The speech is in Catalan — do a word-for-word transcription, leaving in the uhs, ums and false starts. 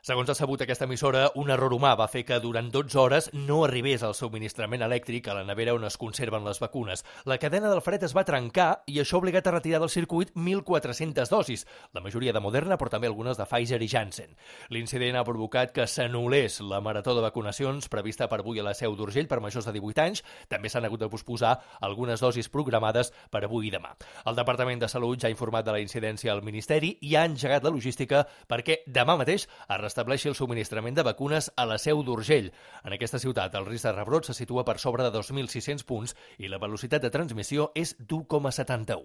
Segons ha sabut aquesta emissora, un error humà va fer que durant dotze hores no arribés el subministrament elèctric a la nevera on es conserven les vacunes. La cadena del fred es va trencar i això ha obligat a retirar del circuit mil quatre-centes dosis, la majoria de Moderna, però també algunes de Pfizer i Janssen. L'incident ha provocat que s'anul·lés la marató de vacunacions prevista per avui a la Seu d'Urgell per majors de divuit anys. També s'han hagut de posposar algunes dosis programades per avui i demà. El Departament de Salut ja ha informat de la incidència al Ministeri i ha engegat la logística perquè demà mateix es restableixi el subministrament de vacunes a la Seu d'Urgell. En aquesta ciutat, el risc de rebrot se situa per sobre de dos mil sis-cents punts i la velocitat de transmissió és d'u coma setanta-u.